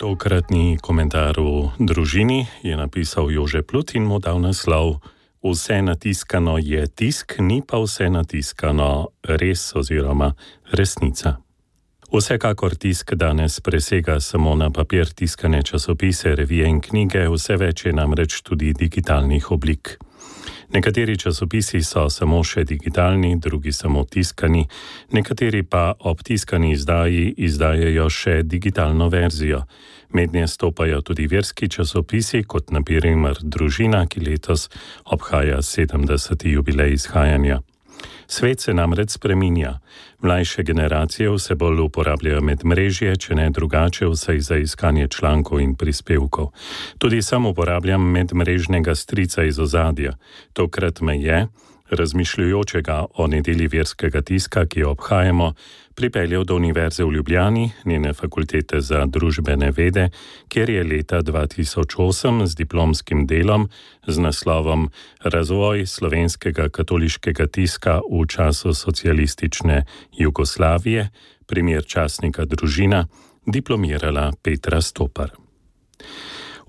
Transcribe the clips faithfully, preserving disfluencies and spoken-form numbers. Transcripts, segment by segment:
Tokratni komentar v družini je napisal Jože Plut in mu dal naslov Vse natiskano je tisk, ni pa vse natiskano res oziroma resnica. Vsekakor tisk danes presega samo na papir tiskane časopise, revije in knjige, vse več je namreč tudi digitalnih oblik. Nekateri časopisi so samo še digitalni, drugi samo tiskani, nekateri pa ob tiskani izdaji izdajajo še digitalno verzijo. Mednje stopajo tudi verski časopisi, kot na primer Družina, ki letos obhaja sedemdeseti jubilej izhajanja. Svet se namreč spreminja. Mlajše generacije vse bolj uporabljajo medmrežje, če ne drugače, vsaj za iskanje člankov in prispevkov. Tudi sam uporabljam medmrežnega strica iz ozadja. Tokrat me je, razmišljujočega o nedelji verskega tiska, ki jo obhajamo, pripeljal do Univerze v Ljubljani, njene fakultete za družbene vede, kjer je leta dva tisoč osem z diplomskim delom z naslovom Razvoj slovenskega katoliškega tiska v času socialistične Jugoslavije, primer časnika Družina, diplomirala Petra Stopar.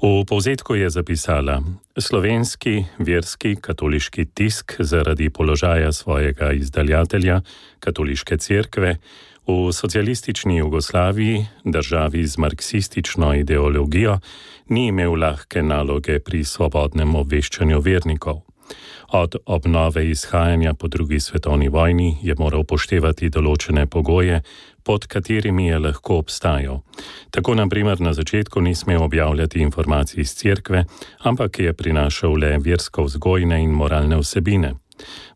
V povzetku je zapisala: Slovenski verski katoliški tisk zaradi položaja svojega izdaljatelja, katoliške cerkve, v socialistični Jugoslaviji, državi z marksistično ideologijo, ni imel lahke naloge pri svobodnem obveščanju vernikov. Od obnove izhajanja po drugi svetovni vojni je moral upoštevati določene pogoje, pod katerimi je lahko obstajal. Tako na primer na začetku ni smel objavljati informacij iz cerkve, ampak je prinašal le versko-vzgojne in moralne vsebine.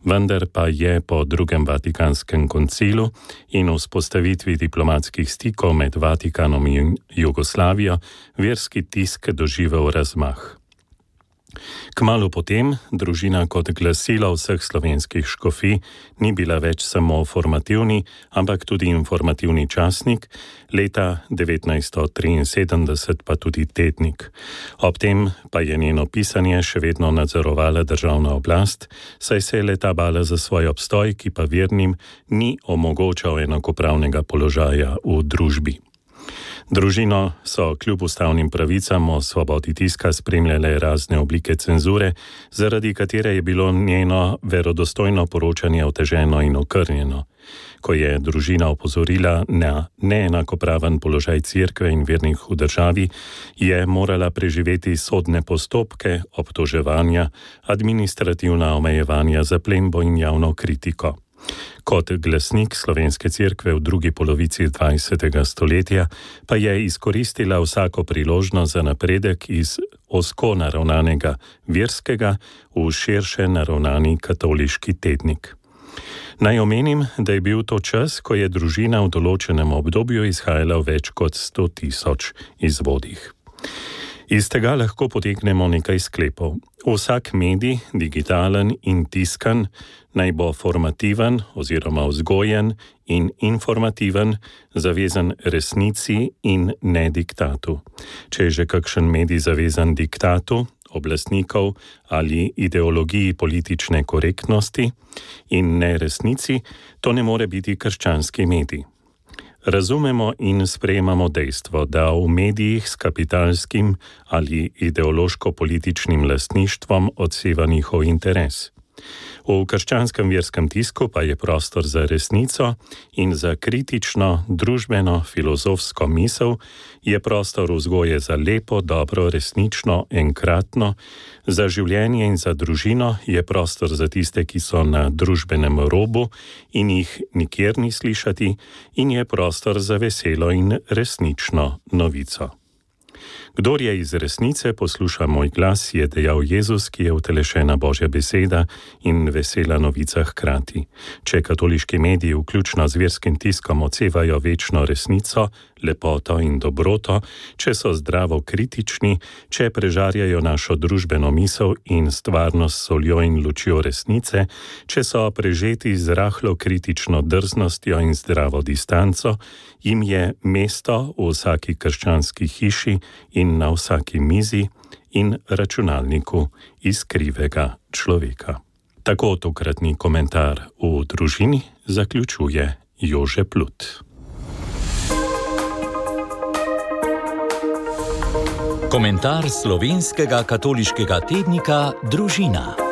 Vendar pa je po drugem Vatikanskem koncilu in vzpostavitvi diplomatskih stikov med Vatikanom in Jugoslavijo verski tisk doživel razmah. Kmalu potem Družina kot glasilo vseh slovenskih škofij ni bila več samo formativni, ampak tudi informativni časnik, leta devetnajststo triinsedemdeset pa tudi tednik. Ob tem pa je njeno pisanje še vedno nadzorovala državna oblast, saj se je leta bala za svoj obstoj, ki pa vernim ni omogočal enakopravnega položaja v družbi. Družino so kljub ustavnim pravicam o svobodi tiska spremljale razne oblike cenzure, zaradi katere je bilo njeno verodostojno poročanje oteženo in okrnjeno. Ko je Družina opozorila na neenakopraven položaj cerkve in vernih v državi, je morala preživeti sodne postopke, obtoževanja, administrativna omejevanja, zaplembo in javno kritiko. Kot glasnik slovenske cerkve v drugi polovici dvajsetega stoletja pa je izkoristila vsako priložnost za napredek iz ozko naravnanega verskega v širše naravnani katoliški tednik. Naj omenim, da je bil to čas, ko je Družina v določenem obdobju izhajala v več kot sto tisoč izvodih. Iz tega lahko potegnemo nekaj sklepov. Vsak medij, digitalen in tiskan, naj bo formativen oziroma vzgojen in informativen, zavezan resnici in ne diktatu. Če je že kakšen medij zavezan diktatu, oblastnikov ali ideologiji politične korektnosti in ne resnici, to ne more biti krščanski medij. Razumemo in sprejemamo dejstvo, da v medijih s kapitalskim ali ideološko-političnim lastništvom odseva njihov interes. V krščanskem verskem tisku pa je prostor za resnico in za kritično, družbeno, filozofsko misel, je prostor vzgoje za lepo, dobro, resnično, enkratno, za življenje in za družino je prostor za tiste, ki so na družbenem robu in jih nikjer ni slišati, in je prostor za veselo in resnično novico. Kdor je iz resnice, posluša moj glas, je dejal Jezus, ki je utelešena Božja beseda in vesela novica hkrati. Če katoliški mediji, vključno z verskim tiskom, odsevajo večno resnico, lepoto in dobroto, če so zdravo kritični, če prežarjajo našo družbeno misel in stvarnost s soljo in lučjo resnice, če so prežeti z rahlo kritično drznostjo in zdravo distanco, jim je mesto v vsaki krščanski hiši in na vsaki mizi in računalniku iskrivega človeka. Tako tokratni komentar v Družini zaključuje Jože Plut. Komentar slovenskega katoliškega tednika Družina.